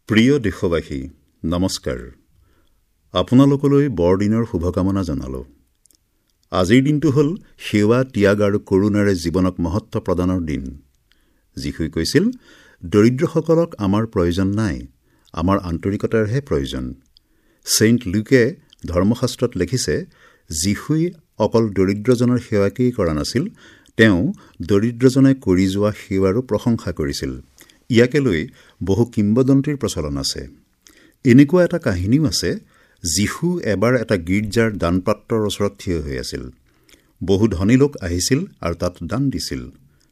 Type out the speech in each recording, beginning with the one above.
প্ৰিয় দেশবাসী, নমস্কাৰ। আপোনালোকলৈ বৰদিনৰ শুভকামনা জনালোঁ। আজিৰ দিনটো হ'ল সেৱা, ত্যাগ আৰু কৰুণাৰে জীৱনক মহত্ব প্ৰদানৰ দিন। যীশুৱে কৈছিল, দৰিদ্ৰসকলক আমাৰ প্ৰয়োজন নাই, আমাৰ আন্তৰিকতাৰহে প্ৰয়োজন। ছেইণ্ট লুকে ধৰ্মশাস্ত্ৰত লিখিছে, যীশুৱে অকল দৰিদ্ৰজনৰ সেৱাকেই কৰা নাছিল, তেওঁ দৰিদ্ৰজনে কৰি যোৱা সেৱাৰো প্ৰশংসা কৰিছিল। ইয়াকে লৈ বহু কিম্বদন্তিৰ প্ৰচলন আছে। এনেকুৱা এটা কাহিনীও আছে, যীশু এবাৰ এটা গীৰ্জাৰ দানপাত্ৰৰ ওচৰত থিয় হৈ আছিল। বহু ধনী লোক আহিছিল আৰু তাত দান দিছিল।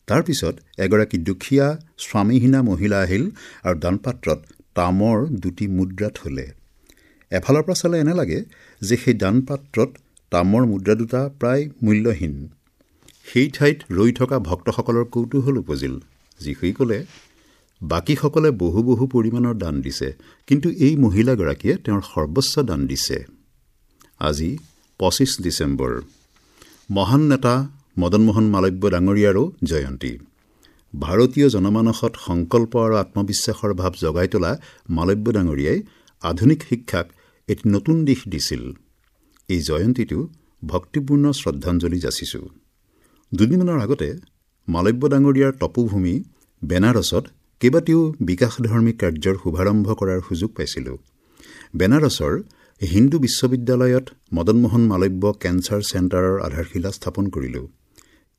তাৰ পিছত এগৰাকী দুখীয়া স্বামীহীনা মহিলা আহিল আৰু দানপাত্ৰত তামৰ দুটি মুদ্ৰা থলে। এফালৰ পৰা চালে এনে লাগে যে সেই দানপাত্ৰত তামৰ মুদ্ৰা দুটা প্ৰায় মূল্যহীন। সেই ঠাইত ৰৈ থকা ভক্তসকলৰ কৌতূহল উপজিল। যীশুৱে ক'লে, বাকীসকলে বহু বহু পৰিমাণৰ দান দিছে, কিন্তু এই মহিলাগৰাকীয়ে তেওঁৰ সৰ্বস্ব দান দিছে। আজি ২৫ ডিচেম্বৰ, মহান নেতা মদন মোহন মালব্য ডাঙৰীয়াৰো জয়ন্তী। ভাৰতীয় জনমানসত সংকল্প আৰু আত্মবিশ্বাসৰ ভাৱ জগাই তোলা মালব্য ডাঙৰীয়াই আধুনিক শিক্ষাক এটি নতুন দিশ দিছিল। এই জয়ন্তীটো ভক্তিপূৰ্ণ শ্ৰদ্ধাঞ্জলি যাচিছোঁ। দুদিনমানৰ আগতে মালব্য ডাঙৰীয়াৰ তপোভূমি বেনাৰসত কেইবাটিও বিকাশধৰ্মী কাৰ্যৰ শুভাৰম্ভ কৰাৰ সুযোগ পাইছিলোঁ। বেনাৰসৰ হিন্দু বিশ্ববিদ্যালয়ত মদন মোহন মালব্য কেঞ্চাৰ চেণ্টাৰৰ আধাৰশিলা স্থাপন কৰিলোঁ।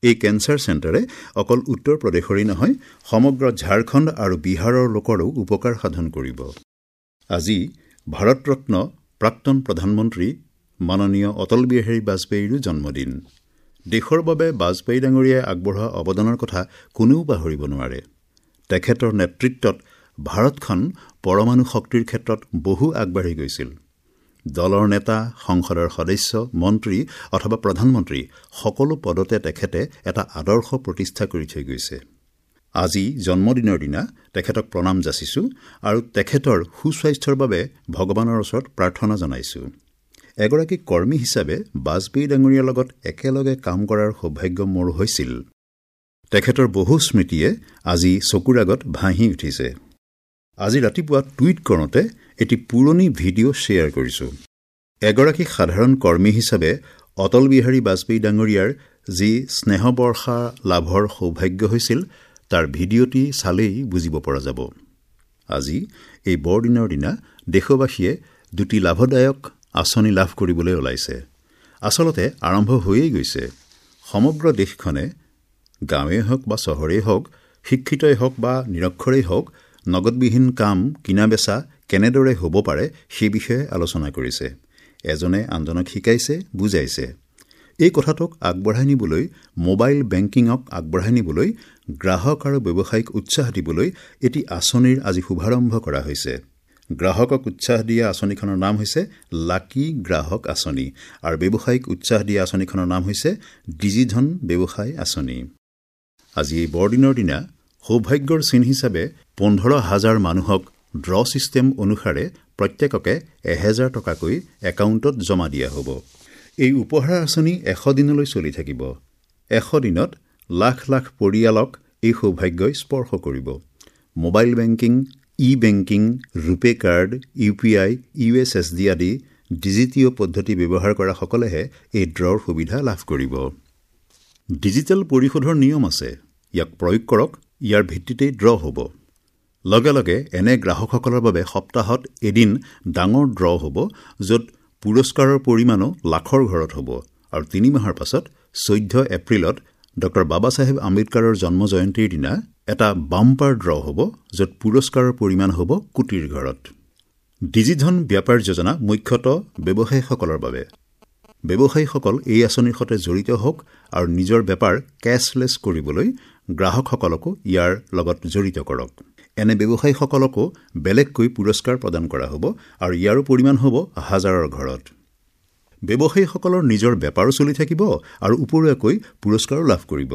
এই কেঞ্চাৰ চেণ্টাৰে অকল উত্তৰ প্ৰদেশৰেই নহয়, সমগ্ৰ ঝাৰখণ্ড আৰু বিহাৰৰ লোকৰো উপকাৰ সাধন কৰিব। আজি ভাৰতৰত্ন প্ৰাক্তন প্ৰধানমন্ত্ৰী মাননীয় অটল বিহাৰী বাজপেয়ীৰো জন্মদিন। দেশৰ বাবে বাজপেয়ী ডাঙৰীয়াই আগবঢ়োৱা অৱদানৰ কথা কোনেও পাহৰিব নোৱাৰে। তেখেতৰ নেতৃত্বত ভাৰতখন পৰমাণু শক্তিৰ ক্ষেত্ৰত বহু আগবাঢ়ি গৈছিল। দলৰ নেতা, সংসদৰ সদস্য, মন্ত্ৰী অথবা প্ৰধানমন্ত্ৰী সকলো পদতে তেখেতে এটা আদৰ্শ প্ৰতিষ্ঠা কৰি থৈ গৈছে। আজি জন্মদিনৰ দিনা তেখেতক প্ৰণাম যাচিছোঁ আৰু তেখেতৰ সুস্বাস্থ্যৰ বাবে ভগৱানৰ ওচৰত প্ৰাৰ্থনা জনাইছোঁ। এগৰাকী কৰ্মী হিচাপে বাজপেয়ী ডাঙৰীয়াৰ লগত একেলগে কাম কৰাৰ সৌভাগ্য মোৰ হৈছিল। তেখেতৰ বহু স্মৃতিয়ে আজি চকুৰ আগত ভাঁহি উঠিছে। আজি ৰাতিপুৱা টুইট কৰোঁতে এটি পুৰণি ভিডিঅ' শ্বেয়াৰ কৰিছোঁ। এগৰাকী সাধাৰণ কৰ্মী হিচাপে অটল বিহাৰী বাজপেয়ী ডাঙৰীয়াৰ যি স্নেহবৰ্ষা লাভৰ সৌভাগ্য হৈছিল, তাৰ ভিডিঅ'টি চালেই বুজিব পৰা যাব। আজি এই বৰদিনৰ দিনা দেশবাসীয়ে দুটি লাভদায়ক আঁচনি লাভ কৰিবলৈ ওলাইছে। আচলতে আৰম্ভ হৈয়েই গৈছে। সমগ্ৰ দেশখনে, গাঁৱেই হওক বা চহৰেই হওক, শিক্ষিতই হওক বা নিৰক্ষৰেই হওক, নগদবিহীন কাম কিনা বেচা কেনেদৰে হ'ব পাৰে সেই বিষয়ে আলোচনা কৰিছে। এজনে আনজনক শিকাইছে, বুজাইছে। এই কথাটোক আগবঢ়াই নিবলৈ, মোবাইল বেংকিঙক আগবঢ়াই নিবলৈ, গ্ৰাহক আৰু ব্যৱসায়িক উৎসাহ দিবলৈ এটি আঁচনিৰ আজি শুভাৰম্ভ কৰা হৈছে। গ্ৰাহকক উৎসাহ দিয়া আঁচনিখনৰ নাম হৈছে লাকি গ্ৰাহক আঁচনি আৰু ব্যৱসায়িক উৎসাহ দিয়া আঁচনিখনৰ নাম হৈছে ডিজিধন ব্যৱসায় আঁচনি। আজি এই বৰদিনৰ দিনা সৌভাগ্যৰ চিন হিচাপে ১৫,০০০ মানুহক ড্ৰ ছিষ্টেম অনুসাৰে প্ৰত্যেককে ১,০০০ টকাকৈ একাউণ্টত জমা দিয়া হ'ব। এই উপহাৰ আঁচনি ১০০ দিনলৈ চলি থাকিব। ১০০ দিনত লাখ লাখ পৰিয়ালক এই সৌভাগ্যই স্পৰ্শ কৰিব। Mobile banking, e banking, RuPay card, U P I, U S S D আদি ডিজিটীয় পদ্ধতি ব্যৱহাৰ কৰাসকলেহে এই ড্ৰৰ সুবিধা লাভ কৰিব। ডিজিটেল পৰিশোধৰ নিয়ম আছে, ইয়াক প্ৰয়োগ কৰক, ইয়াৰ ভিত্তিতেই ড্ৰ হ'ব। লগে লগে এনে গ্ৰাহকসকলৰ বাবে সপ্তাহত এদিন ডাঙৰ ড্ৰ হ'ব, য'ত পুৰস্কাৰৰ পৰিমাণো লাখৰ ঘৰত হ'ব। আৰু ৩ মাহৰ পাছত ১৪ এপ্ৰিলত ডক্টৰ বাবা চাহেব আম্বেদকাৰৰ জন্ম জয়ন্তীৰ দিনা এটা বাম্পাৰ ড্ৰ হ'ব, য'ত পুৰস্কাৰৰ পৰিমাণ হ'ব কোটিৰ ঘৰত। ডিজিধন ব্যাপাৰ যোজনা মুখ্যতঃ ব্যৱসায়ীসকলৰ বাবে। ব্যৱসায়ীসকল এই আঁচনিৰ সৈতে জড়িত হওক আৰু নিজৰ বেপাৰ কেছলেছ কৰিবলৈ গ্ৰাহকসকলকো ইয়াৰ লগত জড়িত কৰক। এনে ব্যৱসায়ীসকলকো বেলেগকৈ পুৰস্কাৰ প্ৰদান কৰা হ'ব আৰু ইয়াৰো পৰিমাণ হ'ব হাজাৰৰ ঘৰত। ব্যৱসায়ীসকলৰ নিজৰ বেপাৰো চলি থাকিব আৰু উপৰুৱাকৈ পুৰস্কাৰো লাভ কৰিব।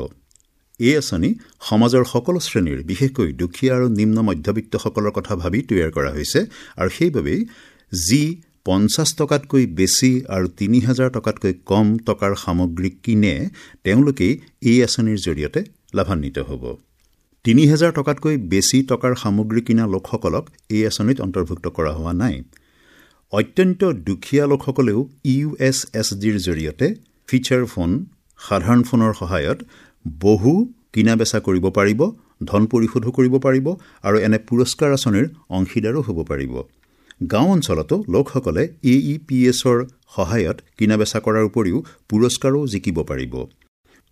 এই আঁচনি সমাজৰ সকলো শ্ৰেণীৰ, বিশেষকৈ দুখীয়া আৰু নিম্ন মধ্যবিত্তসকলৰ কথা ভাবি তৈয়াৰ কৰা হৈছে আৰু সেইবাবেই যি ৫০ টকাতকৈ বেছি আৰু ৩,০০০ টকাতকৈ কম টকাৰ সামগ্ৰী কিনে তেওঁলোকেই এই আঁচনিৰ জৰিয়তে লাভান্বিত হ'ব। 3000 টকাতকৈ বেছি টকাৰ সামগ্ৰী কিনা লোকসকলক এই আঁচনিত অন্তৰ্ভুক্ত কৰা হোৱা নাই। অত্যন্ত দুখীয়া লোকসকলেও ইউএছএছডিৰ জৰিয়তে ফিচাৰ ফোন, সাধাৰণ ফোনৰ সহায়ত বহু কিনা বেচা কৰিব পাৰিব, ধন পৰিশোধো কৰিব পাৰিব আৰু এনে পুৰস্কাৰ আঁচনিৰ অংশীদাৰো হ'ব পাৰিব। গাঁও অঞ্চলতো লোকসকলে AEPSৰ সহায়ত কিনা বেচা কৰাৰ উপৰিও পুৰস্কাৰো জিকিব পাৰিব।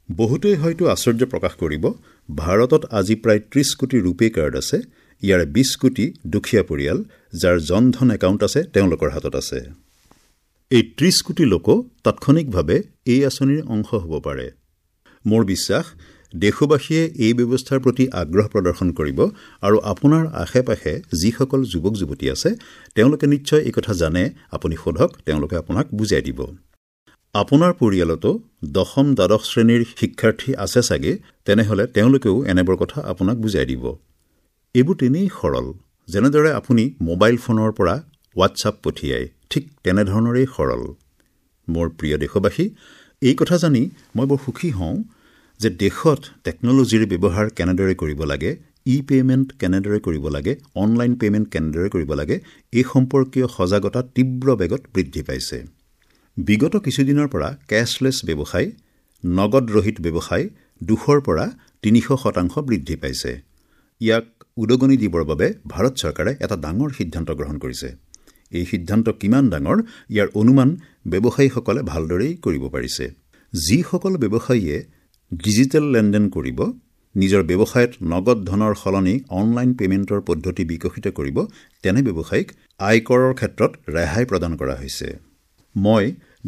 বহুতেই হয়তো আশ্চৰ্য প্ৰকাশ কৰিব, ভাৰতত আজি প্ৰায় 30 কোটি ৰূপে কাৰ্ড আছে, ইয়াৰে 20 কোটি দুখীয়া পৰিয়াল যাৰ জনধন একাউণ্ট আছে তেওঁলোকৰ হাতত আছে। এই 30 কোটি লোকো তাৎক্ষণিকভাৱে এই আঁচনিৰ অংশ হ'ব পাৰে। মোৰ বিশ্বাস দেশবাসীয়ে এই ব্যৱস্থাৰ প্ৰতি আগ্ৰহ প্ৰদৰ্শন কৰিব আৰু আপোনাৰ আশে পাশে যিসকল যুৱক যুৱতী আছে তেওঁলোকে নিশ্চয় এই কথা জানে। আপুনি সোধক, তেওঁলোকে আপোনাক বুজাই দিব। আপোনাৰ পৰিয়ালতো দশম দ্বাদশ শ্ৰেণীৰ শিক্ষাৰ্থী আছে চাগে, তেনেহ'লে তেওঁলোকেও এনেবোৰ কথা আপোনাক বুজাই দিব। এইবোৰ তেনেই সৰল, যেনেদৰে আপুনি মোবাইল ফোনৰ পৰা হোৱাটছআপ পঠিয়ায়, ঠিক তেনেধৰণৰেই সৰল। মোৰ প্ৰিয় দেশবাসী, এই কথা জানি মই বৰ সুখী হওঁ যে দেশত টেকন'লজিৰ ব্যৱহাৰ কেনেদৰে কৰিব লাগে, ই পে'মেণ্ট কেনেদৰে কৰিব লাগে, অনলাইন পে'মেণ্ট কেনেদৰে কৰিব লাগে, এই সম্পৰ্কীয় সজাগতা তীব্ৰ বেগত বৃদ্ধি পাইছে। বিগত কিছুদিনৰ পৰা কেছলেছ ব্যৱসায়, নগদৰহিত ব্যৱসায় 200 পৰা 300% বৃদ্ধি পাইছে। ইয়াক উদগনি দিবৰ বাবে ভাৰত চৰকাৰে এটা ডাঙৰ সিদ্ধান্ত গ্ৰহণ কৰিছে। এই সিদ্ধান্ত কিমান ডাঙৰ ইয়াৰ অনুমান ব্যৱসায়ীসকলে ভালদৰেই কৰিব পাৰিছে। যিসকল ব্যৱসায়ীয়ে ডিজিটেল লেনদেন কৰিব, নিজৰ ব্যৱসায়ত নগদ ধনৰ সলনি অনলাইন পে'মেণ্টৰ পদ্ধতি বিকশিত কৰিব, তেনে ব্যৱসায়ীক আয়কৰৰ ক্ষেত্ৰত ৰেহাই প্ৰদান কৰা হৈছে। মই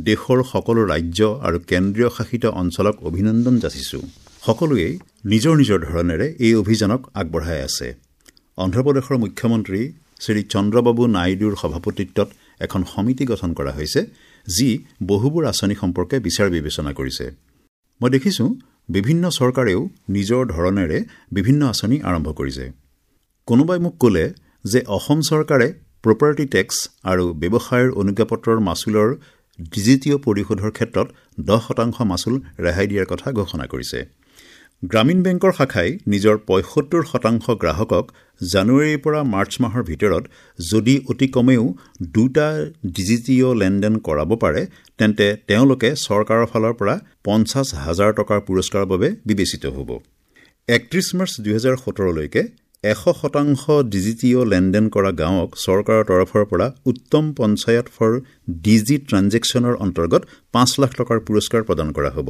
দেশৰ সকলো ৰাজ্য আৰু কেন্দ্ৰীয় শাসিত অঞ্চলক অভিনন্দন যাচিছোঁ। সকলোৱেই নিজৰ নিজৰ ধৰণেৰে এই অভিযানক আগবঢ়াই আছে। অন্ধ্ৰপ্ৰদেশৰ মুখ্যমন্ত্ৰী শ্ৰী চন্দ্ৰবাবু নাইডুৰ সভাপতিত্বত এখন সমিতি গঠন কৰা হৈছে, যি বহুবোৰ আঁচনি সম্পৰ্কে বিচাৰ বিবেচনা কৰিছে। মই দেখিছোঁ বিভিন্ন চৰকাৰেও নিজৰ ধৰণেৰে বিভিন্ন আঁচনি আৰম্ভ কৰিছে। কোনোবাই মোক ক'লে যে অসম চৰকাৰে প্ৰপাৰ্টি টেক্স আৰু ব্যৱসায়ৰ অনুজ্ঞাপত্ৰৰ মাচুলৰ ডিজিটীয় পৰিশোধৰ ক্ষেত্ৰত 10% মাচুল ৰেহাই দিয়াৰ কথা ঘোষণা কৰিছে। গ্ৰামীণ বেংকৰ শাখাই নিজৰ 75% গ্ৰাহকক জানুৱাৰীৰ পৰা মাৰ্চ মাহৰ ভিতৰত যদি অতি কমেও 2টা ডিজিটীয় লেনদেন কৰাব পাৰে, তেন্তে তেওঁলোকে চৰকাৰৰ ফালৰ পৰা 50,000 টকাৰ পুৰস্কাৰৰ বাবে বিবেচিত হ'ব। 31 মাৰ্চ 2017লৈকে 100% ডিজিটীয় লেনদেন কৰা গাঁৱক চৰকাৰৰ তৰফৰ পৰা উত্তম পঞ্চায়ত ফৰ ডিজি ট্ৰানজেকশ্যনৰ অন্তৰ্গত 5 লাখ টকাৰ পুৰস্কাৰ প্ৰদান কৰা হ'ব।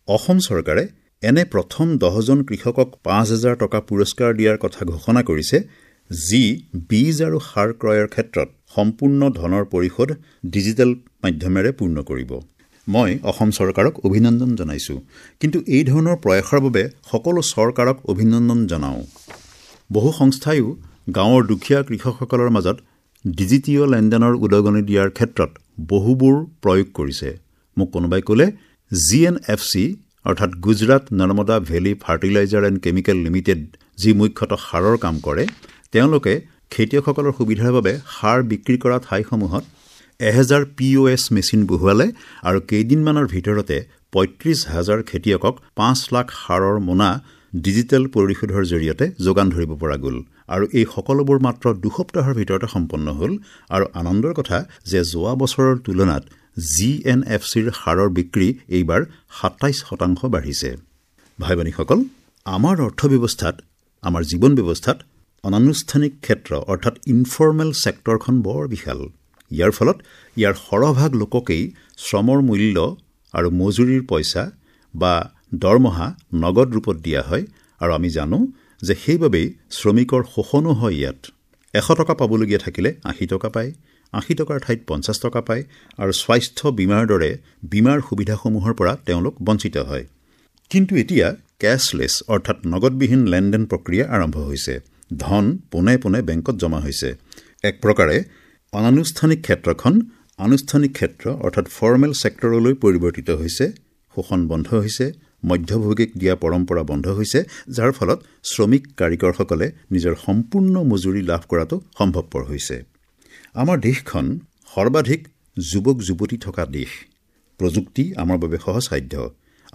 অসম চৰকাৰে এনে প্ৰথম 10জন কৃষকক 5,000 টকা পুৰস্কাৰ দিয়াৰ কথা ঘোষণা কৰিছে, যি বীজ আৰু সাৰ ক্ৰয়ৰ ক্ষেত্ৰত সম্পূৰ্ণ ধনৰ পৰিশোধ ডিজিটেল মাধ্যমেৰে পূৰ্ণ কৰিব। মই অসম চৰকাৰক অভিনন্দন জনাইছোঁ, কিন্তু এই ধৰণৰ প্ৰয়াসৰ বাবে সকলো চৰকাৰক অভিনন্দন জনাওঁ। বহু সংস্থাইও গাঁৱৰ দুখীয়া কৃষকসকলৰ মাজত ডিজিটীয় লেনদেনৰ উদগনি দিয়াৰ ক্ষেত্ৰত বহুবোৰ প্ৰয়োগ কৰিছে। মোক কোনোবাই ক'লে GNFC অৰ্থাৎ Gujarat Narmada valley fertiliser and chemical limited, যি মুখ্যতঃ সাৰৰ কাম কৰে, তেওঁলোকে খেতিয়কসকলৰ সুবিধাৰ বাবে সাৰ বিক্ৰী কৰা ঠাইসমূহত 1000 POS machine বহুৱালে আৰু কেইদিনমানৰ ভিতৰতে 35,000 খেতিয়কক 5 লাখ সাৰৰ মোনা ডিজিটেল পৰিশোধৰ জৰিয়তে যোগান ধৰিব পৰা গ'ল। আৰু এই সকলোবোৰ মাত্ৰ 2 সপ্তাহৰ ভিতৰতে সম্পন্ন হ'ল। আৰু আনন্দৰ কথা যে যোৱা বছৰৰ তুলনাত GNFCৰ সাৰৰ বিক্ৰী এইবাৰ 27% বাঢ়িছে। ভাই ভনীসকল, আমাৰ অৰ্থব্যৱস্থাত, আমাৰ জীৱন ব্যৱস্থাত অনানুষ্ঠানিক ক্ষেত্ৰ অৰ্থাৎ ইনফৰ্মেল ছেক্টৰখন বৰ বিশাল। ইয়াৰ ফলত ইয়াৰ সৰহভাগ লোককেই শ্ৰমৰ মূল্য আৰু মজুৰিৰ পইচা বা দৰমহা নগদ ৰূপত দিয়া হয়। আৰু আমি জানো যে সেইবাবেই শ্ৰমিকৰ শোষণো হয়। ইয়াত 100 টকা পাবলগীয়া থাকিলে 80 টকা পায়, 80 টকাৰ ঠাইত 50 টকা পায় আৰু স্বাস্থ্য বীমাৰ দৰে বীমাৰ সুবিধাসমূহৰ পৰা তেওঁলোক বঞ্চিত হয়। কিন্তু এতিয়া কেছলেছ অৰ্থাৎ নগদবিহীন লেনদেন প্ৰক্ৰিয়া আৰম্ভ হৈছে। ধন পোনে পোনে বেংকত জমা হৈছে। এক প্ৰকাৰে অনানুষ্ঠানিক ক্ষেত্ৰখন আনুষ্ঠানিক ক্ষেত্ৰ অৰ্থাৎ ফৰ্মেল ছেক্টৰলৈ পৰিৱৰ্তিত হৈছে। শোষণ বন্ধ হৈছে, মধ্যভোগীক দিয়া পৰম্পৰা বন্ধ হৈছে, যাৰ ফলত শ্ৰমিক কাৰিকৰসকলে নিজৰ সম্পূৰ্ণ মজুৰি লাভ কৰাটো সম্ভৱপৰ হৈছে। আমাৰ দেশখন সৰ্বাধিক যুৱক যুৱতী থকা দেশ। প্ৰযুক্তি আমাৰ বাবে সহজসাধ্য।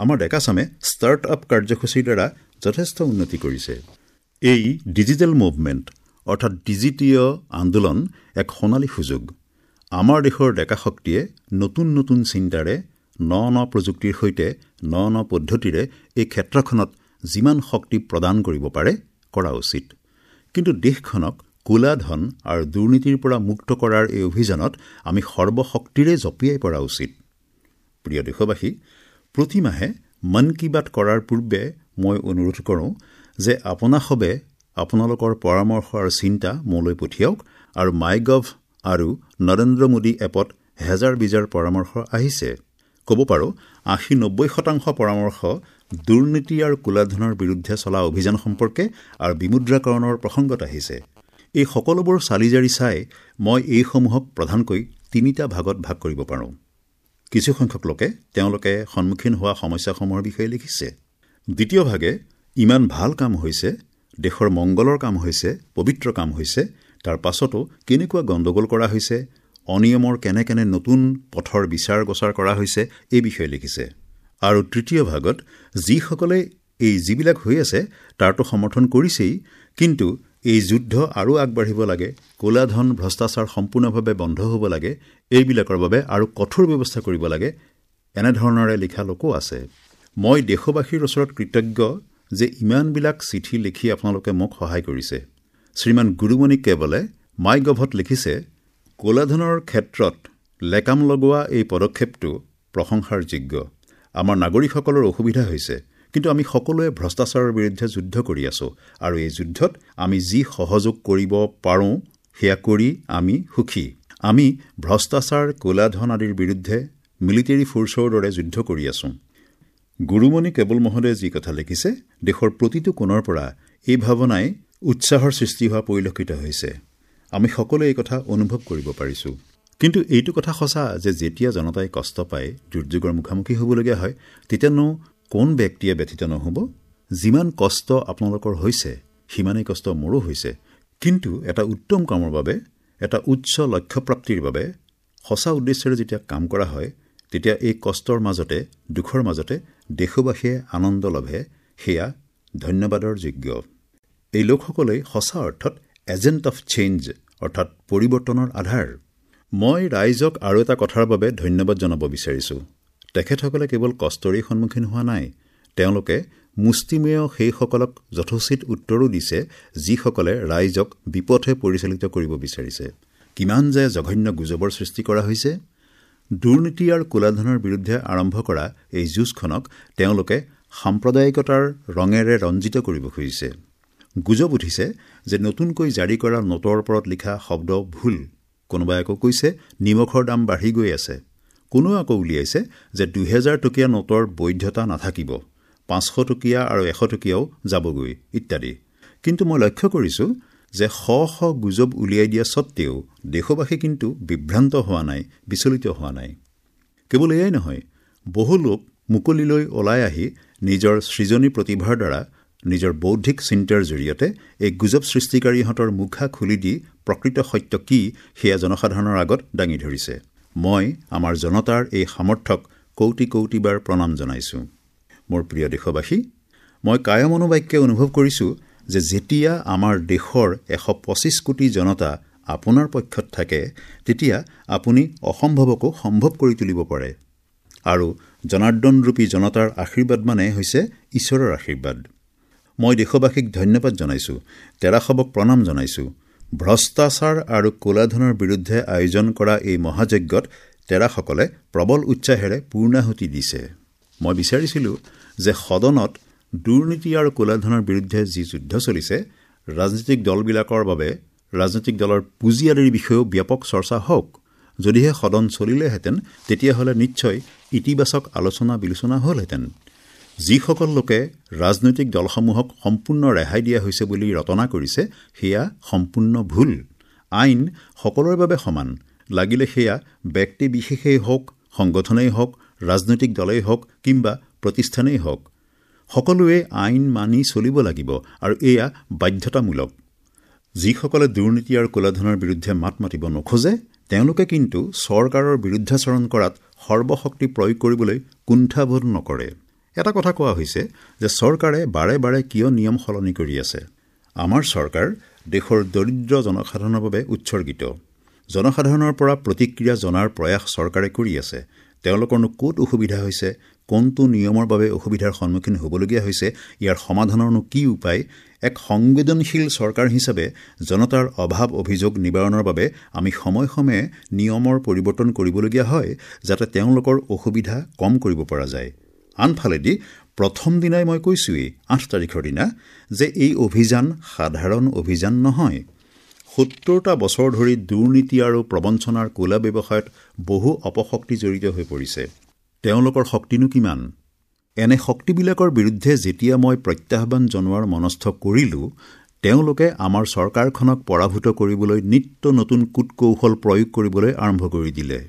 আমাৰ ডেকাচামে ষ্টাৰ্ট আপ কাৰ্যসূচীৰ দ্বাৰা যথেষ্ট উন্নতি কৰিছে। এই ডিজিটেল মুভমেণ্ট অৰ্থাৎ ডিজিটীয় আন্দোলন এক সোণালী সুযোগ। আমাৰ দেশৰ ডেকা শক্তিয়ে নতুন নতুন চিন্তাৰে, ন ন প্ৰযুক্তিৰ সৈতে, ন ন পদ্ধতিৰে এই ক্ষেত্ৰখনত যিমান শক্তি প্ৰদান কৰিব পাৰে কৰা উচিত। কিন্তু দেশখনক ক'লা ধন আৰু দুৰ্নীতিৰ পৰা মুক্ত কৰাৰ এই অভিযানত আমি সৰ্বশক্তিৰে জঁপিয়াই পৰা উচিত। প্ৰিয় দেশবাসী, প্ৰতিমাহে মন কী বাত কৰাৰ পূৰ্বে মই অনুৰোধ কৰোঁ যে আপোনাসবে আপোনালোকৰ পৰামৰ্শ আৰু চিন্তা মোলৈ পঠিয়াওক আৰু মাই গভ আৰু নৰেন্দ্ৰ মোদী এপত হেজাৰ বিজাৰ পৰামৰ্শ আহিছে। ক'ব পাৰোঁ ৮০-৯০% পৰামৰ্শ দুৰ্নীতি আৰু ক'লা ধনৰ বিৰুদ্ধে চলা অভিযান সম্পৰ্কে আৰু বিমুদ্ৰাকৰণৰ প্ৰসংগত আহিছে। এই সকলোবোৰ চালি জাৰি চাই মই এইসমূহক প্ৰধানকৈ ৩টা ভাগত ভাগ কৰিব পাৰোঁ। কিছুসংখ্যক লোকে তেওঁলোকে সন্মুখীন হোৱা সমস্যাসমূহৰ বিষয়ে লিখিছে। দ্বিতীয় ভাগে ইমান ভাল কাম হৈছে, দেশৰ মংগলৰ কাম হৈছে, পবিত্ৰ কাম হৈছে, তাৰ পাছতো কেনেকুৱা গণ্ডগোল কৰা হৈছে, অনিয়মৰ কেনে কেনে নতুন পথৰ বিচাৰ গোচাৰ কৰা হৈছে, এই বিষয়ে লিখিছে। আৰু তৃতীয় ভাগত যিসকলে এই যিবিলাক হৈ আছে তাৰতো সমৰ্থন কৰিছেই, কিন্তু এই যুদ্ধ আৰু আগবাঢ়িব লাগে, ক'লা ধন ভ্ৰষ্টাচাৰ সম্পূৰ্ণভাৱে বন্ধ হ'ব লাগে, এইবিলাকৰ বাবে আৰু কঠোৰ ব্যৱস্থা কৰিব লাগে, এনেধৰণেৰে লিখা লোকো আছে। মই দেশবাসীৰ ওচৰত কৃতজ্ঞ যে ইমানবিলাক চিঠি লিখি আপোনালোকে মোক সহায় কৰিছে। শ্ৰীমান গুৰুমণি কেৱলে মাই গভত লিখিছে, ক'লা ধনৰ ক্ষেত্ৰত লেকাম লগোৱা এই পদক্ষেপটো প্ৰশংসাৰ যোগ্য। আমাৰ নাগৰিকসকলৰ অসুবিধা হৈছে, কিন্তু আমি সকলোৱে ভ্ৰষ্টাচাৰৰ বিৰুদ্ধে যুদ্ধ কৰি আছোঁ আৰু এই যুদ্ধত আমি যি সহযোগ কৰিব পাৰোঁ সেয়া কৰি আমি সুখী। আমি ভ্ৰষ্টাচাৰ, ক'লা ধন আদিৰ বিৰুদ্ধে মিলিটেৰী ফ'ৰ্চৰ দৰে যুদ্ধ কৰি আছোঁ। গুৰুমণি কেৱল মহোদয়ে যি কথা লিখিছে, দেশৰ প্ৰতিটো কোণৰ পৰা এই ভাৱনাই উৎসাহৰ সৃষ্টি হোৱা পৰিলক্ষিত হৈছে। আমি সকলোৱে এই কথা অনুভৱ কৰিব পাৰিছোঁ। কিন্তু এইটো কথা সঁচা যে যেতিয়া জনতাই কষ্ট পায়, দুৰ্যোগৰ মুখামুখি হ'বলগীয়া হয়, তেতিয়ানো কোন ব্যক্তিয়ে ব্যথিত নহ'ব? যিমান কষ্ট আপোনালোকৰ হৈছে সিমানেই কষ্ট মোৰো হৈছে। কিন্তু এটা উত্তম কামৰ বাবে, এটা উচ্চ লক্ষ্যপ্ৰাপ্তিৰ বাবে সঁচা উদ্দেশ্যেৰে যেতিয়া কাম কৰা হয়, তেতিয়া এই কষ্টৰ মাজতে, দুখৰ মাজতে দেশবাসীয়ে আনন্দ লভে, সেয়া ধন্যবাদৰ যোগ্য। এই লোকসকলেই সঁচা অৰ্থত এজেণ্ট অফ চেঞ্জ, অৰ্থাৎ পৰিৱৰ্তনৰ আধাৰ। মই ৰাইজক আৰু এটা কথাৰ বাবে ধন্যবাদ জনাব বিচাৰিছোঁ। তেখেতসকলে কেৱল কষ্টৰেই সন্মুখীন হোৱা নাই, তেওঁলোকে মুষ্টিমেয় সেইসকলক যথোচিত উত্তৰো দিছে যিসকলে ৰাইজক বিপথে পৰিচালিত কৰিব বিচাৰিছে। কিমান যে জঘন্য গুজবৰ সৃষ্টি কৰা হৈছে! দুৰ্নীতি আৰু ক'লা ধনৰ বিৰুদ্ধে আৰম্ভ কৰা এই যুঁজখনক তেওঁলোকে সাম্প্ৰদায়িকতাৰ ৰঙেৰে ৰঞ্জিত কৰিব খুজিছে। গুজব উঠিছে যে নতুনকৈ জাৰি কৰা নোটৰ ওপৰত লিখা শব্দ ভুল। কোনোবাই আকৌ কৈছে নিমখৰ দাম বাঢ়ি গৈ আছে। কোনোৱে আকৌ উলিয়াইছে যে ২০০০ টকীয়া নোটৰ বৈধতা নাথাকিব, ৫০০ টকীয়া আৰু ১০০ টকীয়াও যাবগৈ ইত্যাদি। কিন্তু মই লক্ষ্য কৰিছোঁ যে শ শ গুজব উলিয়াই দিয়া স্বত্তেও দেশবাসী কিন্তু বিভ্ৰান্ত হোৱা নাই, বিচলিত হোৱা নাই। কেৱল এয়াই নহয়, বহু লোক মুকলিলৈ ওলাই আহি নিজৰ সৃজনী প্ৰতিভাৰ দ্বাৰা, নিজৰ বৌদ্ধিক চিন্তাৰ জৰিয়তে এই গুজব সৃষ্টিকাৰীহঁতৰ মুখা খুলি দি প্ৰকৃত সত্য কি সেয়া জনসাধাৰণৰ আগত দাঙি ধৰিছে। মই আমাৰ জনতাৰ এই সামৰ্থ্যক কৌটি কৌটিবাৰ প্ৰণাম জনাইছোঁ। মোৰ প্ৰিয় দেশবাসী, মই কায়মনোবাক্যে অনুভৱ কৰিছোঁ যে যেতিয়া আমাৰ দেশৰ ১২৫ কোটি জনতা আপোনাৰ পক্ষত থাকে, তেতিয়া আপুনি অসম্ভৱকো সম্ভৱ কৰি তুলিব পাৰে। আৰু জনাৰ্দনৰূপী জনতাৰ আশীৰ্বাদ মানে হৈছে ঈশ্বৰৰ আশীৰ্বাদ। মই দেশবাসীক ধন্যবাদ জনাইছোঁ, তেৰাসবক প্ৰণাম জনাইছোঁ। ভ্ৰষ্টাচাৰ আৰু ক'লা ধনৰ বিৰুদ্ধে আয়োজন কৰা এই মহাযজ্ঞত তেৰাসকলে প্ৰবল উৎসাহেৰে পূৰ্ণাহুতি দিছে। মই বিচাৰিছিলোঁ যে সদনত দুৰ্নীতি আৰু ক'লা ধনৰ বিৰুদ্ধে যি যুদ্ধ চলিছে, ৰাজনৈতিক দলবিলাকৰ বাবে ৰাজনৈতিক দলৰ পুঁজি আদিৰ বিষয়েও ব্যাপক চৰ্চা হওক। যদিহে সদন চলিলেহেঁতেন, তেতিয়াহ'লে নিশ্চয় ইতিবাচক আলোচনা বিলোচনা হ'লহেঁতেন। যিসকল লোকে ৰাজনৈতিক দলসমূহক সম্পূৰ্ণ ৰেহাই দিয়া হৈছে বুলি ৰটনা কৰিছে, সেয়া সম্পূৰ্ণ ভুল। আইন সকলোৰে বাবে সমান, লাগিলে সেয়া ব্যক্তি বিশেষেই হওক, সংগঠনেই হওক, ৰাজনৈতিক দলেই হওক কিম্বা প্ৰতিষ্ঠানেই হওক, সকলোৱে আইন মানি চলিব লাগিব আৰু এয়া বাধ্যতামূলক। যিসকলে দুৰ্নীতি আৰু ক'লা ধনৰ বিৰুদ্ধে মাত মাতিব নোখোজে, তেওঁলোকে কিন্তু চৰকাৰৰ বিৰুদ্ধাচৰণ কৰাত সৰ্বশক্তি প্ৰয়োগ কৰিবলৈ কুণ্ঠাবোধ নকৰে। এটা কথা কোৱা হৈছে যে চৰকাৰে বাৰে বাৰে কিয় নিয়ম সলনি কৰি আছে। আমাৰ চৰকাৰ দেশৰ দৰিদ্ৰ জনসাধাৰণৰ বাবে উৎসৰ্গিত। জনসাধাৰণৰ পৰা প্ৰতিক্ৰিয়া জনাৰ প্ৰয়াস চৰকাৰে কৰি আছে। তেওঁলোকৰনো ক'ত অসুবিধা হৈছে, কোনটো নিয়মৰ বাবে অসুবিধাৰ সন্মুখীন হ'বলগীয়া হৈছে, ইয়াৰ সমাধানৰনো কি উপায়, এক সংবেদনশীল চৰকাৰ হিচাপে জনতাৰ অভাৱ অভিযোগ নিবাৰণৰ বাবে আমি সময়ে সময়ে নিয়মৰ পৰিৱৰ্তন কৰিবলগীয়া হয়, যাতে তেওঁলোকৰ অসুবিধা কম কৰিব পৰা যায়। আনফালেদি প্ৰথম দিনাই মই কৈছোঁৱেই ৮ তাৰিখৰ দিনা যে এই অভিযান সাধাৰণ অভিযান নহয়। ৭০টা বছৰ ধৰি দুৰ্নীতি আৰু প্ৰবঞ্চনাৰ ক'লা ব্যৱসায়ত বহু অপশক্তি জড়িত হৈ পৰিছে। তেওঁলোকৰ শক্তিনো কিমান? এনে শক্তিবিলাকৰ বিৰুদ্ধে যেতিয়া মই প্ৰত্যাহ্বান জনোৱাৰ মনস্থ কৰিলোঁ, তেওঁলোকে আমাৰ চৰকাৰখনক পৰাভূত কৰিবলৈ নিত্য নতুন কূটকৌশল প্ৰয়োগ কৰিবলৈ আৰম্ভ কৰি দিলে।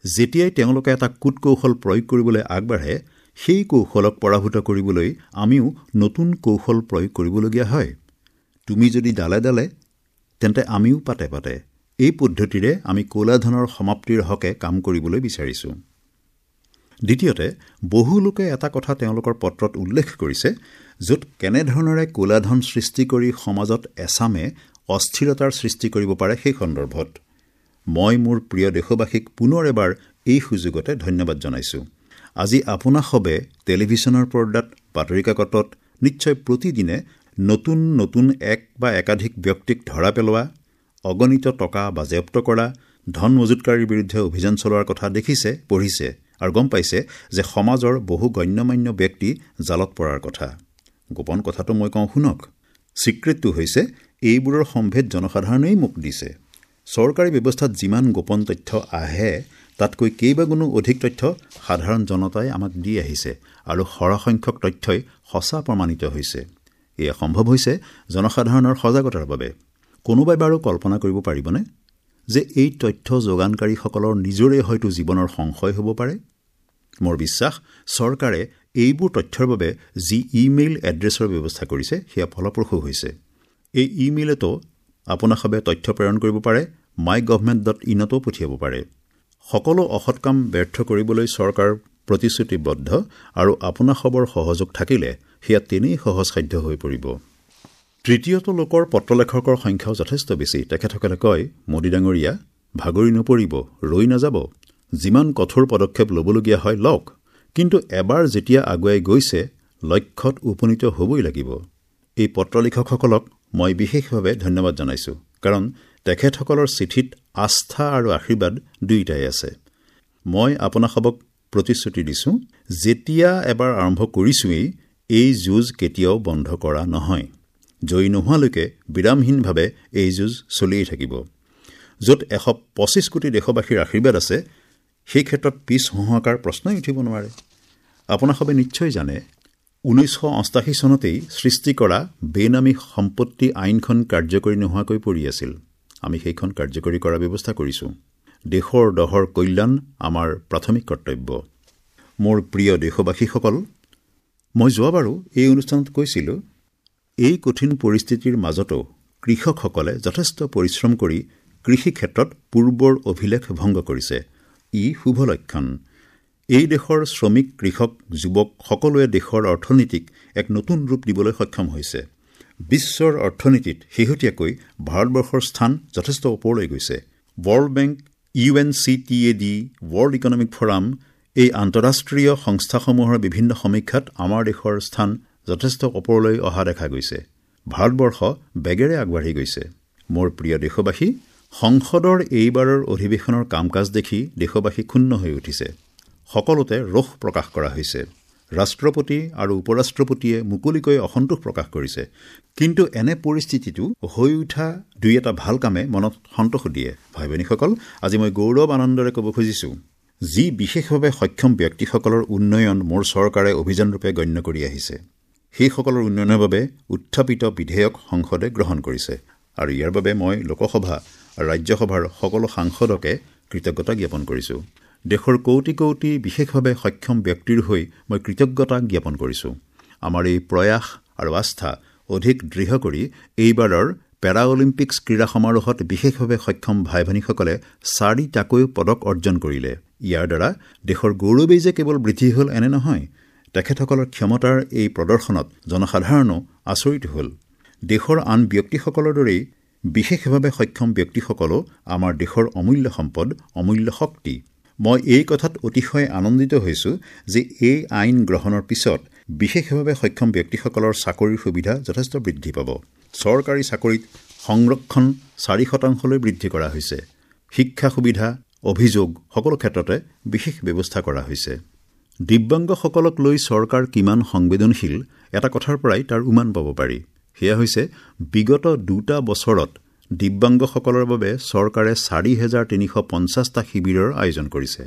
যেতিয়াই তেওঁলোকে এটা কূটকৌশল প্ৰয়োগ কৰিবলৈ আগবাঢ়ে, সেই কৌশলক পৰাভূত কৰিবলৈ আমিও নতুন কৌশল প্ৰয়োগ কৰিবলগীয়া হয়। তুমি যদি ডালে ডালে, তেন্তে আমিও পাতে পাতে। এই পদ্ধতিৰে আমি ক'লা ধনৰ সমাপ্তিৰ হকে কাম কৰিবলৈ বিচাৰিছোঁ। দ্বিতীয়তে, বহু লোকে এটা কথা তেওঁলোকৰ পত্ৰত উল্লেখ কৰিছে, য'ত কেনেধৰণেৰে ক'লা ধন সৃষ্টি কৰি সমাজত এচামে অস্থিৰতাৰ সৃষ্টি কৰিব পাৰে সেই সন্দৰ্ভত মই মোৰ প্ৰিয় দেশবাসীক পুনৰ এবাৰ এই সুযোগতে ধন্যবাদ জনাইছোঁ। আজি আপোনাসবে টেলিভিছনৰ পৰ্দাত, বাতৰি কাকতত নিশ্চয় প্ৰতিদিনে নতুন নতুন এক বা একাধিক ব্যক্তিক ধৰা পেলোৱা, অগণিত টকা বাজেয়াপ্ত কৰা, ধন মজুতকাৰীৰ বিৰুদ্ধে অভিযান চলোৱাৰ কথা দেখিছে, পঢ়িছে আৰু গম পাইছে যে সমাজৰ বহু গণ্যমান্য ব্যক্তি জালত পৰাৰ কথা। গোপন কথাটো মই কওঁ শুনক। ছিক্ৰেটটো হৈছে এইবোৰৰ সম্ভেদ জনসাধাৰণেই মোক দিছে। চৰকাৰী ব্যৱস্থাত যিমান গোপন তথ্য আহে, তাতকৈ কেইবাগুণো অধিক তথ্য সাধাৰণ জনতাই আমাক দি আহিছে আৰু সৰহসংখ্যক তথ্যই সঁচা প্ৰমাণিত হৈছে। এয়া সম্ভৱ হৈছে জনসাধাৰণৰ সজাগতাৰ বাবে। কোনোবাই বাৰু কল্পনা কৰিব পাৰিবনে যে এই তথ্য যোগানকাৰীসকলৰ নিজৰে হয়তো জীৱনৰ সংশয় হ'ব পাৰে? মোৰ বিশ্বাস, চৰকাৰে এইবোৰ তথ্যৰ বাবে যি ইমেইল এড্ৰেছৰ ব্যৱস্থা কৰিছে, সেয়া ফলপ্ৰসূ হৈছে। এই ইমেইলতো আপোনাসবে তথ্য প্ৰেৰণ কৰিব পাৰে, mygovernment.inতো পঠিয়াব পাৰে। সকলো অসৎ কাম ব্যৰ্থ কৰিবলৈ চৰকাৰ প্ৰতিশ্ৰুতিবদ্ধ আৰু আপোনাসবৰ সহযোগ থাকিলে সেয়া তেনেই সহজসাধ্য হৈ পৰিব। তৃতীয়টো লোকৰ পত্ৰলেখকৰ সংখ্যাও যথেষ্ট বেছি। তেখেতসকলে কয়, মোদী ডাঙৰীয়া, ভাগৰি নপৰিব, ৰৈ নাযাব, যিমান কঠোৰ পদক্ষেপ ল'বলগীয়া হয় লওক, কিন্তু এবাৰ যেতিয়া আগুৱাই গৈছে লক্ষ্যত উপনীত হ'বই লাগিব। এই পত্ৰলেখকসকলক মই বিশেষভাৱে ধন্যবাদ জনাইছোঁ, কাৰণ তেখেতসকলৰ চিঠিত আস্থা আৰু আশীৰ্বাদ দুয়োটাই আছে। মই আপোনাসবক প্ৰতিশ্ৰুতি দিছোঁ, যেতিয়া এবাৰ আৰম্ভ কৰিছোঁৱেই, এই যুঁজ কেতিয়াও বন্ধ কৰা নহয়। জয়ী নোহোৱালৈকে বিৰামহীনভাৱে এই যুঁজ চলিয়েই থাকিব। য'ত ১২৫ কোটি দেশবাসীৰ আশীৰ্বাদ আছে, সেই ক্ষেত্ৰত পিছ হঁহাৰ প্ৰশ্নই উঠিব নোৱাৰে। আপোনাসবে নিশ্চয় জানে, ১৯৮৮ চনতেই সৃষ্টি কৰা বেনামী সম্পত্তি আইনখন কাৰ্যকৰী নোহোৱাকৈ পৰি আছিল। আমি সেইখন কাৰ্যকৰী কৰাৰ ব্যৱস্থা কৰিছোঁ। দেশৰ দহৰ কল্যাণ আমাৰ প্ৰাথমিক কৰ্তব্য। মোৰ প্ৰিয় দেশবাসীসকল, মই যোৱাবাৰো এই অনুষ্ঠানত কৈছিলোঁ, এই কঠিন পৰিস্থিতিৰ মাজতো কৃষকসকলে যথেষ্ট পৰিশ্ৰম কৰি কৃষি ক্ষেত্ৰত পূৰ্বৰ অভিলেখ ভংগ কৰিছে। ই শুভ লক্ষণ। এই দেশৰ শ্ৰমিক, কৃষক, যুৱক সকলোৱে দেশৰ অৰ্থনীতিক এক নতুন ৰূপ দিবলৈ সক্ষম হৈছে। বিশ্বৰ অৰ্থনীতিত শেহতীয়াকৈ ভাৰতবৰ্ষৰ স্থান যথেষ্ট ওপৰলৈ গৈছে। World Bank, UNCTAD, World Economic Forum এই আন্তঃৰাষ্ট্ৰীয় সংস্থাসমূহৰ বিভিন্ন সমীক্ষাত আমাৰ দেশৰ স্থান যথেষ্ট ওপৰলৈ অহা দেখা গৈছে। ভাৰতবৰ্ষ বেগেৰে আগবাঢ়ি গৈছে। মোৰ প্ৰিয় দেশবাসী, সংসদৰ এইবাৰৰ অধিৱেশনৰ কাম কাজ দেখি দেশবাসী ক্ষুণ্ণ হৈ উঠিছে। সকলোতে ৰোষ প্ৰকাশ কৰা হৈছে। ৰাষ্ট্ৰপতি আৰু উপৰাষ্ট্ৰপতিয়ে মুকলিকৈ অসন্তোষ প্ৰকাশ কৰিছে। কিন্তু এনে পৰিস্থিতিটো হৈ উঠা দুই এটা ভাল কামে মনত সন্তোষ দিয়ে। ভাই ভনীসকল, আজি মই গৌৰৱ আনন্দৰে ক'ব খুজিছোঁ, যি বিশেষভাৱে সক্ষম ব্যক্তিসকলৰ উন্নয়ন মোৰ চৰকাৰে অভিযানৰূপে গণ্য কৰি আহিছে, সেইসকলৰ উন্নয়নৰ বাবে উত্থাপিত বিধেয়ক সংসদে গ্ৰহণ কৰিছে আৰু ইয়াৰ বাবে মই লোকসভা আৰু ৰাজ্যসভাৰ সকলো সাংসদকে কৃতজ্ঞতা জ্ঞাপন কৰিছোঁ। দেশৰ কোটি কোটি বিশেষভাৱে সক্ষম ব্যক্তিৰ হৈ মই কৃতজ্ঞতা জ্ঞাপন কৰিছোঁ। আমাৰ এই প্ৰয়াস আৰু আস্থা অধিক দৃঢ় কৰি এইবাৰৰ পেৰা অলিম্পিক্স ক্ৰীড়া সমাৰোহত বিশেষভাৱে সক্ষম ভাই ভনীসকলে 4টাকৈ পদক অৰ্জন কৰিলে। ইয়াৰ দ্বাৰা দেশৰ গৌৰৱেই যে কেৱল বৃদ্ধি হ'ল এনে নহয়, তেখেতসকলৰ ক্ষমতাৰ এই প্ৰদৰ্শনত জনসাধাৰণো আচৰিত হ'ল। দেশৰ আন ব্যক্তিসকলৰ দৰেই বিশেষভাৱে সক্ষম ব্যক্তিসকলো আমাৰ দেশৰ অমূল্য সম্পদ, অমূল্য শক্তি। মই এই কথাত অতিশয় আনন্দিত হৈছো যে এই আইন গ্ৰহণৰ পিছত বিশেষভাৱে সক্ষম ব্যক্তিসকলৰ চাকৰিৰ সুবিধা যথেষ্ট বৃদ্ধি পাব। চৰকাৰী চাকৰিত সংৰক্ষণ 4%লৈ বৃদ্ধি কৰা হৈছে। শিক্ষা সুবিধা, অভিযোগ সকলো ক্ষেত্ৰতে বিশেষ ব্যৱস্থা কৰা হৈছে। দিব্যাংগসকলক লৈ চৰকাৰ কিমান সংবেদনশীল এটা কথাৰ পৰাই তাৰ উমান পাব পাৰি। সেয়া হৈছে বিগত 2 বছৰত দিব্যাংগসকলৰ বাবে চৰকাৰে 4350টা শিবিৰৰ আয়োজন কৰিছে।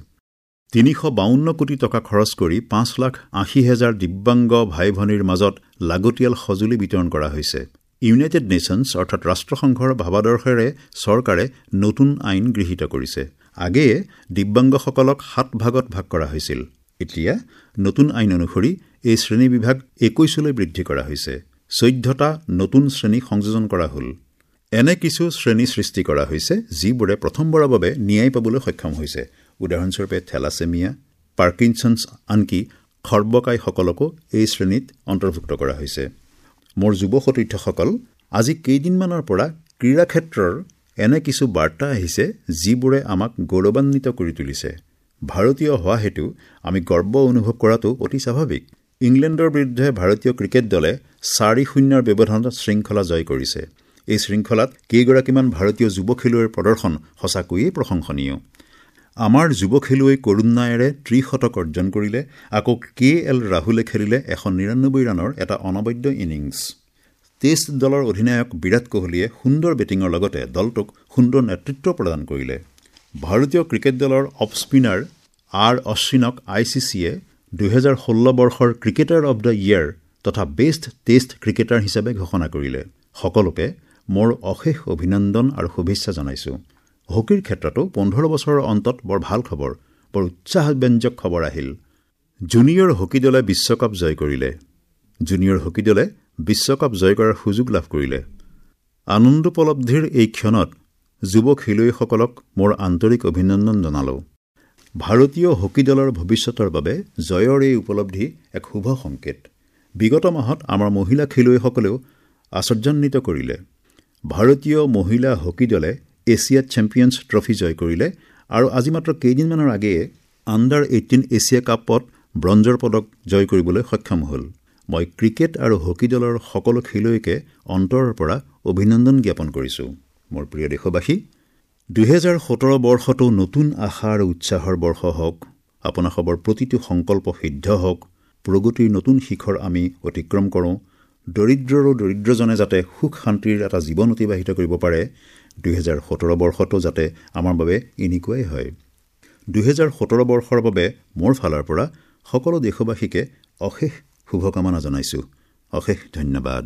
352 কোটি টকা খৰচ কৰি 5,80,000 দিব্যাংগ ভাই ভনীৰ মাজত লাগতিয়াল সঁজুলি বিতৰণ কৰা হৈছে। ইউনাইটেড নেশ্যনছ অৰ্থাৎ ৰাষ্ট্ৰসংঘৰ ভাৱাদৰ্শেৰে চৰকাৰে নতুন আইন গৃহীত কৰিছে। আগেয়ে দিব্যাংগসকলক 7 ভাগত ভাগ কৰা হৈছিল। এতিয়া নতুন আইন অনুসৰি এই শ্ৰেণী বিভাগ 21লৈ বৃদ্ধি কৰা হৈছে। 14টা নতুন শ্ৰেণী সংযোজন কৰা হ'ল। এনে কিছু শ্ৰেণী সৃষ্টি কৰা হৈছে যিবোৰে প্ৰথমবাৰৰ বাবে ন্যায় পাবলৈ সক্ষম হৈছে। উদাহৰণস্বৰূপে থেলাছেমিয়া, পাৰ্কিনছনছ, আনকি খৰ্বকায়সকলকো এই শ্ৰেণীত অন্তৰ্ভুক্ত কৰা হৈছে। মোৰ যুৱ সতীৰ্থসকল, আজি কেইদিনমানৰ পৰা ক্ৰীড়া ক্ষেত্ৰৰ এনে কিছু বাৰ্তা আহিছে যিবোৰে আমাক গৌৰৱান্বিত কৰি তুলিছে। ভাৰতীয় হোৱা হেতু আমি গৰ্ব অনুভৱ কৰাটো অতি স্বাভাৱিক। ইংলেণ্ডৰ বিৰুদ্ধে ভাৰতীয় ক্ৰিকেট দলে 4-0 ব্যৱধানত শৃংখলা জয় কৰিছে। এই শৃংখলাত কেইগৰাকীমান ভাৰতীয় যুৱ খেলুৱৈৰ প্ৰদৰ্শন সঁচাকৈয়ে প্ৰশংসনীয়। আমাৰ যুৱ খেলুৱৈ কৰুণ নায়াৰে 3 শতক অৰ্জন কৰিলে, আকৌ কে এল ৰাহুলে খেলিলে 199 ৰানৰ এটা অনবদ্য ইনিংছ। টেষ্ট দলৰ অধিনায়ক বিৰাট কোহলীয়ে সুন্দৰ বেটিঙৰ লগতে দলটোক সুন্দৰ নেতৃত্ব প্ৰদান কৰিলে। ভাৰতীয় ক্ৰিকেট দলৰ অফ স্পিনাৰ আৰ অশ্বিনক I C চিয়ে 2016 বৰ্ষৰ ক্ৰিকেটাৰ অৱ the year তথা বেষ্ট টেষ্ট ক্ৰিকেটাৰ হিচাপে ঘোষণা কৰিলে। সকলোকে মোৰ অশেষ অভিনন্দন আৰু শুভেচ্ছা জনাইছো। হকীৰ ক্ষেত্ৰতো 15 বছৰৰ অন্তত বৰ ভাল খবৰ, বৰ উৎসাহব্যঞ্জক খবৰ আহিল। জুনিয়ৰ হকী দলে বিশ্বকাপ জয় কৰিলে। জুনিয়ৰ হকী দলে বিশ্বকাপ জয় কৰাৰ সুযোগ লাভ কৰিলে। আনন্দোপলব্ধিৰ এই ক্ষণত যুৱ খেলুৱৈসকলক মোৰ আন্তৰিক অভিনন্দন জনালো। ভাৰতীয় হকী দলৰ ভৱিষ্যতৰ বাবে জয়ৰ এই উপলব্ধি এক শুভ সংকেত। বিগত মাহত আমাৰ মহিলা খেলুৱৈসকলেও আশ্চৰ্যান্বিত কৰিলে। ভাৰতীয় মহিলা হকী দলে এছিয়া চেম্পিয়নছ ট্ৰফী জয় কৰিলে আৰু আজি মাত্ৰ কেইদিনমানৰ আগেয়ে আণ্ডাৰ 18 এছিয়া কাপত ব্ৰঞ্জৰ পদক জয় কৰিবলৈ সক্ষম হ'ল। মই ক্ৰিকেট আৰু হকী দলৰ সকলো খেলুৱৈকে অন্তৰৰ পৰা অভিনন্দন জ্ঞাপন কৰিছো। মোৰ প্ৰিয় দেশবাসী, 2017 বৰ্ষটো নতুন আশা আৰু উৎসাহৰ বৰ্ষ হওক। আপোনাসৱৰ প্ৰতিটো সংকল্প সিদ্ধ হওক। প্ৰগতিৰ নতুন শিখৰ আমি অতিক্ৰম কৰোঁ। দৰিদ্ৰৰো দৰিদ্ৰজনে যাতে সুখ শান্তিৰ এটা জীৱন অতিবাহিত কৰিব পাৰে, 2017 বৰ্ষটো যাতে আমাৰ বাবে এনেকুৱাই হয়। 2017 বৰ্ষৰ বাবে মোৰ ফালৰ পৰা সকলো দেশবাসীকে অশেষ শুভকামনা জনাইছো। অশেষ ধন্যবাদ।